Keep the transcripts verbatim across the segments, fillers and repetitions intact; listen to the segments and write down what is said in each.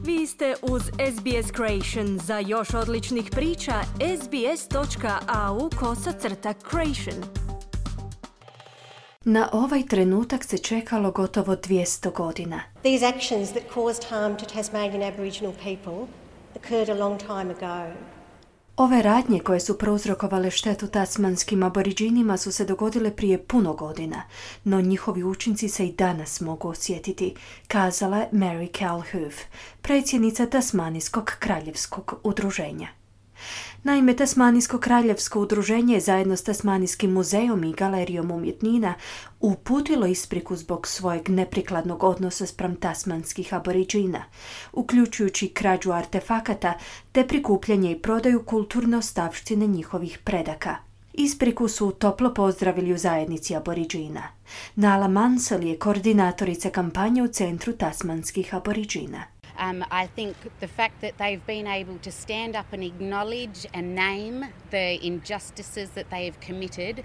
Vi ste uz S B S Creation. Za još odličnih priča, sbs.au kosacrta creation. Na ovaj trenutak se čekalo gotovo dvjesto godina. These actions that caused harm to Tasmanian Aboriginal people occurred a long time ago. Ove radnje koje su prouzrokovale štetu tasmanskim aboriđinima su se dogodile prije puno godina, no njihovi učinci se i danas mogu osjetiti, kazala je Mary Calhoun, predsjednica Tasmanijskog kraljevskog udruženja. Naime, Tasmanijsko kraljevsko udruženje zajedno s Tasmanijskim muzejom i galerijom umjetnina uputilo ispriku zbog svojeg neprikladnog odnosa spram tasmanskih aboriđina, uključujući krađu artefakata te prikupljanje i prodaju kulturne ostavštine njihovih predaka. Ispriku su toplo pozdravili u zajednici aboriđina. Nala Mansell je koordinatorica kampanje u Centru tasmanskih aboriđina. Um, I think the fact that they've been able to stand up and acknowledge and name the injustices that they have committed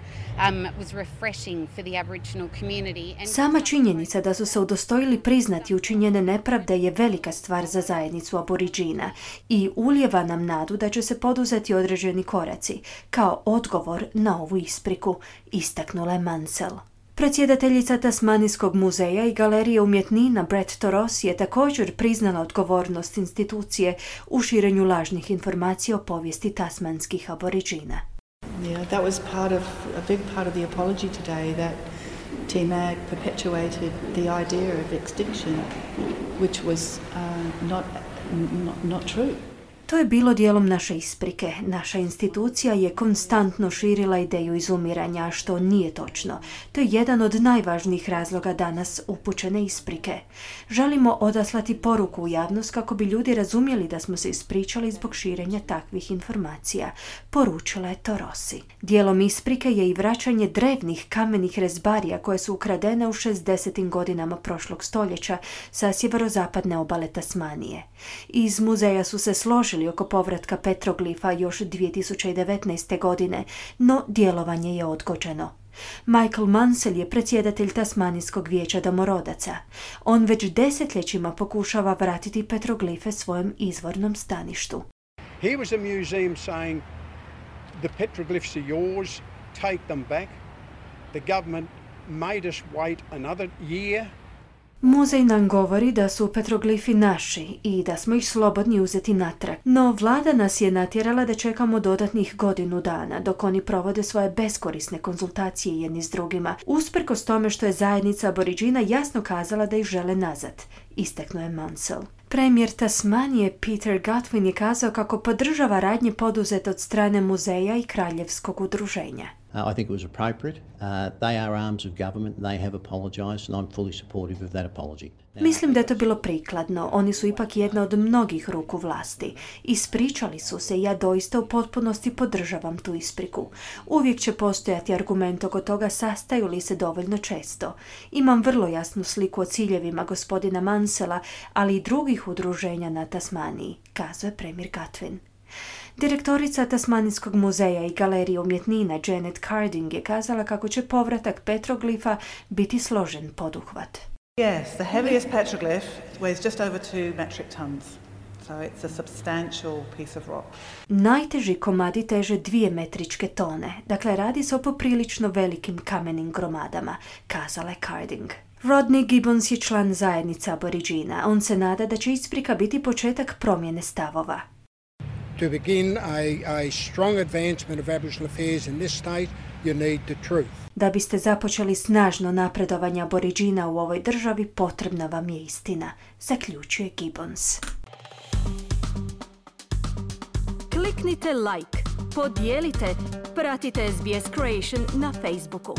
um, was refreshing for the Aboriginal community. And sama činjenica da su se udostojili priznati učinjene nepravde je velika stvar za zajednicu aboriđina i ulijeva nam nadu da će se poduzeti određeni koraci kao odgovor na ovu ispriku, istaknula je Mansell. Predsjedateljica Tasmanijskog muzeja i galerije umjetnina Brett Toros je također priznala odgovornost institucije u širenju lažnih informacija o povijesti tasmanskih aboriđina. Yeah, that was part of a big part of the apology today that T M A G perpetuated the idea of extinction, which was uh, not, not not true. To je bilo dijelom naše isprike. Naša institucija je konstantno širila ideju izumiranja, što nije točno. To je jedan od najvažnijih razloga danas upućene isprike. Želimo odaslati poruku u javnost kako bi ljudi razumjeli da smo se ispričali zbog širenja takvih informacija, poručila je Torosi. Dijelom isprike je i vraćanje drevnih kamenih rezbarija koje su ukradene u šezdesetim godinama prošlog stoljeća sa sjeverozapadne obale Tasmanije. Iz muzeja su se složili oko povratka petroglifa još dvije tisuće devetnaeste. godine, no djelovanje je odgođeno. Michael Mansell je predsjedatelj Tasmanijskog vijeća domorodaca. On već desetljećima pokušava vratiti petroglife svojem izvornom staništu. Here was a museum saying the petroglyphs are yours, take them back. The government made us wait another year. Muzej nam govori da su petroglifi naši i da smo ih slobodni uzeti natrag. No vlada nas je natjerala da čekamo dodatnih godinu dana dok oni provode svoje beskorisne konzultacije jedni s drugima, usprkos tome što je zajednica aboriđina jasno kazala da ih žele nazad, istaknuo je Mansell. Premijer Tasmanije Peter Gutwein je kazao kako podržava radnje poduzete od strane muzeja i kraljevskog udruženja. Uh, I think it was appropriate. Uh, they are arms of government. They have apologized and I'm fully supportive of that apology. Now, mislim da je to bilo prikladno. Oni su ipak jedna od mnogih ruku vlasti. Ispričali su se i ja doista u potpunosti podržavam tu ispriku. Uvijek će postojati argument oko toga sastaju li se dovoljno često. Imam vrlo jasnu sliku o ciljevima gospodina Mansella, ali i drugih udruženja na Tasmaniji, kazao je premijer Gutwein. Direktorica Tasmanijskog muzeja i galerije umjetnina Janet Carding je kazala kako će povratak petroglifa biti složen poduhvat. Yes, the heaviest petroglyph weighs just over two metric tons. So it's a substantial piece of rock. Najteži komadi teže dvije metričke tone, dakle radi se o poprilično velikim kamenim gromadama, kazala je Carding. Rodney Gibbons je član zajednice aboriđina. On se nada da će isprika biti početak promjene stavova. To begin a, a strong advancement of Aboriginal affairs in this state, you need the truth. Da biste započeli snažno napredovanje aboriđina u ovoj državi, potrebna vam je istina, zaključuje Gibbons. Kliknite like, podijelite, pratite S B S Creation na Facebooku.